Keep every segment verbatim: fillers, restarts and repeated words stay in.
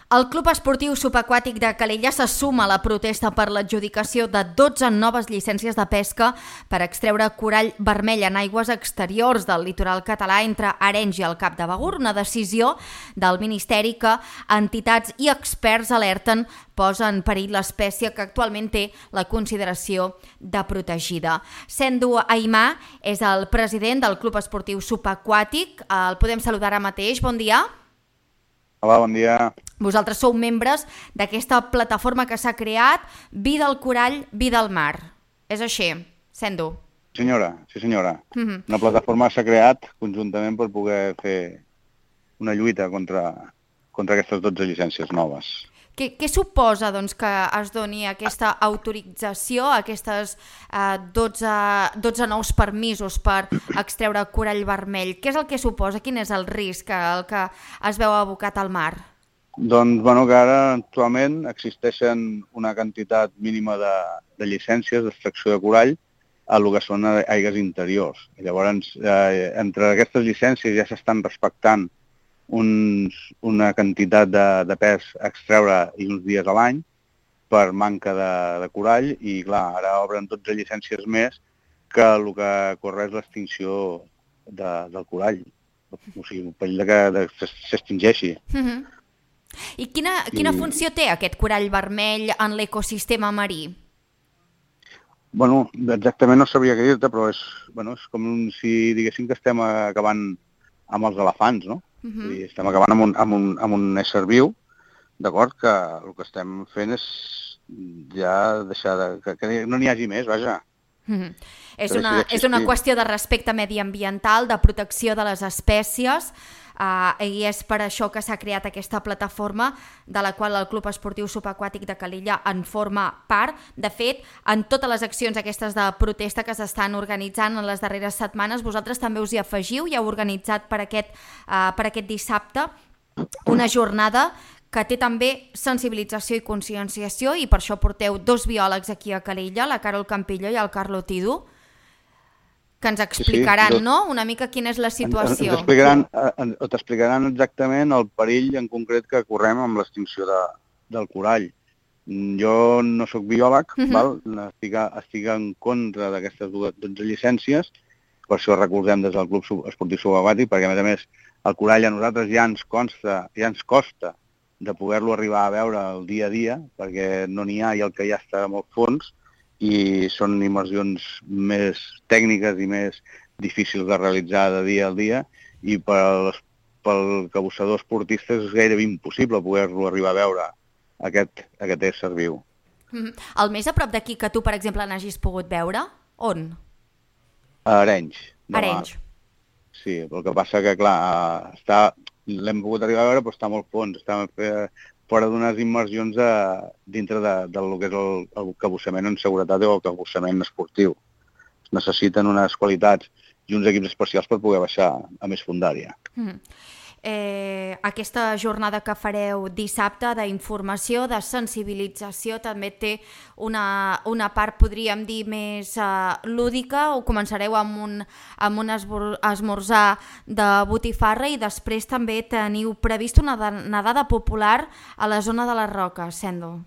El Club Esportiu Subaquàtic de Calella se suma a la protesta per l'adjudicació de dotze noves llicències de pesca per extreure corall vermell en aigües exteriors del litoral català entre Arenys i el Cap de Begur, una decisió del Ministeri que entitats i experts alerten posa en perill l'espècie que actualment té la consideració de protegida. Sendo Aimà és el president del Club Esportiu Subaquàtic. El podem saludar ara mateix. Bon dia. Hola, bon dia. Vosaltres sou membres d'aquesta plataforma que s'ha creat, Vida al Corall, Vida al Mar. És així, Sendo? Senyora, sí senyora. Uh-huh. Una plataforma s'ha creat conjuntament per poder fer una lluita contra, contra aquestes dotze llicències noves. Què, què suposa doncs, que es doni aquesta autorització, aquestes eh, dotze, dotze nous permisos per extreure corall vermell? Què és el que suposa? Quin és el risc el que es veu abocat al mar? Doncs, bueno, que ara actualment existeixen una quantitat mínima de, de llicències d'extracció de corall a lo que són aigues interiors. I llavors, eh, entre aquestes llicències ja s'estan respectant uns, una quantitat de, de pes a extreure i uns dies a l'any per manca de, de corall i, clar, ara obren dotze llicències més que el que corre és l'extinció de, del corall. O sigui, un perill de que de, s'extingeixi. Uh-huh. I quina, quina I... funció té aquest corall vermell en l'ecosistema marí? Bueno, exactament no sabria què dir-te, però és, bueno, és com un, si diguéssim que estem acabant amb els elefants, no? Uh-huh. I estem acabant amb un, amb un, amb un ésser viu, d'acord, que el que estem fent és ja deixar de... que, que no n'hi hagi més, vaja. Uh-huh. És, una, és una qüestió de respecte mediambiental, de protecció de les espècies, Uh, i és per això que s'ha creat aquesta plataforma de la qual el Club Esportiu Subaquàtic de Calella en forma part. De fet, en totes les accions aquestes de protesta que s'estan organitzant en les darreres setmanes, vosaltres també us hi afegiu i heu organitzat per aquest, uh, per aquest dissabte una jornada que té també sensibilització i conscienciació, i per això porteu dos biòlegs aquí a Calella, la Carol Campillo i el Carlo Tidu, que ens explicaran, sí, sí, no?, una mica quina és la situació. T'explicaran exactament el perill en concret que correm amb l'extinció de, del corall. Jo no sóc biòleg, uh-huh. val? Estic, estic en contra d'aquestes dotze llicències, per això recordem des del Club Esportiu Subaquàtic, perquè a més a més el corall a nosaltres ja ens consta, ja ens costa de poder-lo arribar a veure el dia a dia, perquè no n'hi ha i el que ja està molt fons, i són immersions més tècniques i més difícils de realitzar de dia a dia, i pel, pel cabussador esportista és gairebé impossible poder-lo arribar a veure, aquest, aquest ésser viu. Mm-hmm. El més a prop d'aquí que tu, per exemple, n'hagis pogut veure? On? A Arenys. Arenys. Sí, el que passa que, clar, està, l'hem pogut arribar a veure, però està molt fons, està fora d'unes immersions de, dintre de, del que és el, el cabussament en seguretat o el cabussament esportiu. Necessiten unes qualitats i uns equips especials per poder baixar a més fondària. Mm. Eh, aquesta jornada que fareu dissabte d'informació, de sensibilització, també té una, una part, podríem dir, més uh, lúdica, o començareu amb un, amb un esmorzar de botifarra i després també teniu previst una nedada popular a la zona de les Roques, Sendo.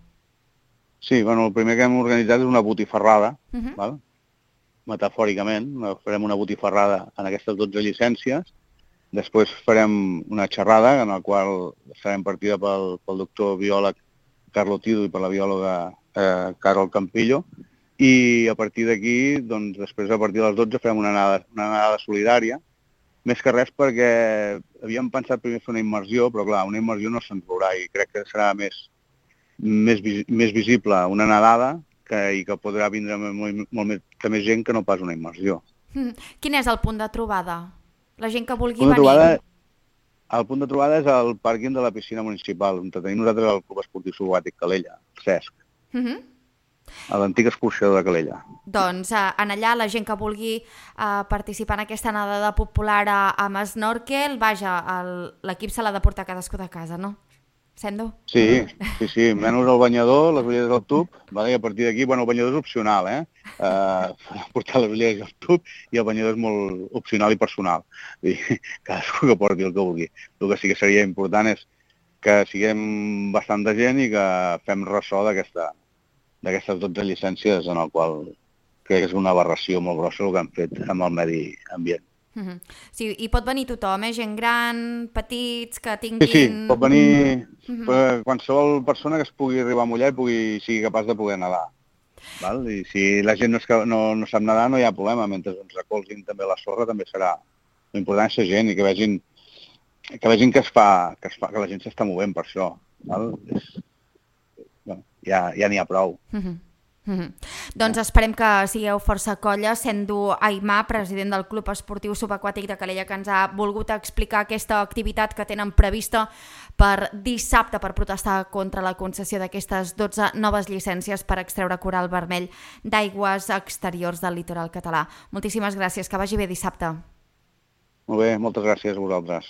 Sí, bueno, el primer que hem organitzat és una botifarrada, uh-huh. val? Metafòricament, farem una botifarrada en aquestes dotze llicències. Després farem una xerrada en la qual serem partida pel, pel doctor biòleg Carlo Tidu i per la biòloga eh, Carol Campillo, i a partir d'aquí, doncs, després a partir de les dotze farem una anada, una anada solidària, més que res perquè havíem pensat primer fer una immersió, però clar, una immersió no se'n veurà i crec que serà més, més, més visible una nedada que, i que podrà vindre molt, molt més, que més gent que no pas una immersió. Mm. Quin és el punt de trobada? La gent que vulgui venir... Trobada, el punt de trobada és el pàrquing de la piscina municipal, on tenim nosaltres el Club Esportiu Subaquàtic Calella, el Cesc, uh-huh. a l'antic escorxador de Calella. Doncs eh, en allà la gent que vulgui eh, participar en aquesta nedada popular a, amb snorkel, vaja, l'equip se l'ha de portar cadascú de casa, no? Sendo? Sí, sí, sí, menys el banyador, les ulleres del tub, vale? I a partir d'aquí, bueno, el banyador és opcional, eh? Uh, portar les ulleres del tub i el banyador és molt opcional i personal. I cadascú que porti el que vulgui. El que sí que seria important és que siguem bastant de gent i que fem ressò d'aquesta d'aquestes dotze llicències en el qual crec que és una aberració molt grossa el que han fet amb el medi ambient. Uh-huh. Sí, i pot venir tothom, eh? Gent gran, petits, que tinguin... Sí, sí, pot venir uh-huh. qualsevol persona que es pugui arribar a mullar i pugui, sigui capaç de poder nedar. Val? I si la gent no, és, no, no sap nedar no hi ha problema, mentre ens recolzin també la sorra també serà l'important és la gent i que vegin que, vegin que, es fa, que, es fa, que la gent s'està movent per això. Val? És, bueno, ja ja n'hi ha prou. Uh-huh. Mm-hmm. Doncs esperem que sigueu força colla, sent du Aimar, president del Club Esportiu Subaquàtic de Calella, que ens ha volgut explicar aquesta activitat que tenen prevista per dissabte per protestar contra la concessió d'aquestes dotze noves llicències per extreure coral vermell d'aigües exteriors del litoral català. Moltíssimes gràcies, que vagi bé dissabte. Molt bé, moltes gràcies a vosaltres.